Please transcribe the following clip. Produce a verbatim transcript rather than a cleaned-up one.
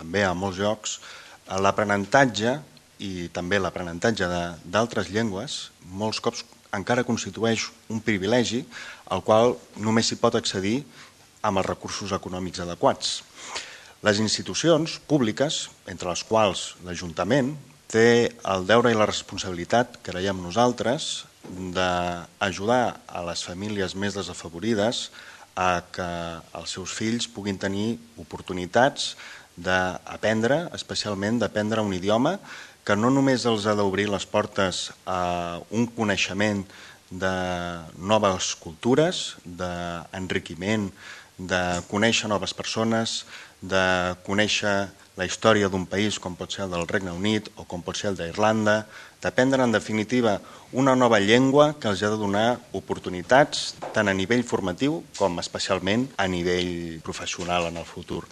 També a molts llocs l'aprenentatge i també l'aprenentatge d'altres llengües molts cops encara constitueix un privilegi al qual només s'hi pot accedir amb els recursos econòmics adequats. Les institucions públiques, entre les quals l'Ajuntament, té el deure i la responsabilitat, creiem nosaltres, d'ajudar a les famílies més desafavorides a que els seus fills puguin tenir oportunitats d'aprendre, especialment d'aprendre un idioma que no només els ha d'obrir les portes a un coneixement de noves cultures, d'enriquiment, de conèixer noves persones, de conèixer la història d'un país com pot ser el del Regne Unit o com pot ser el d'Irlanda, d'aprendre en definitiva una nova llengua que els ha de donar oportunitats tant a nivell formatiu com especialment a nivell professional en el futur.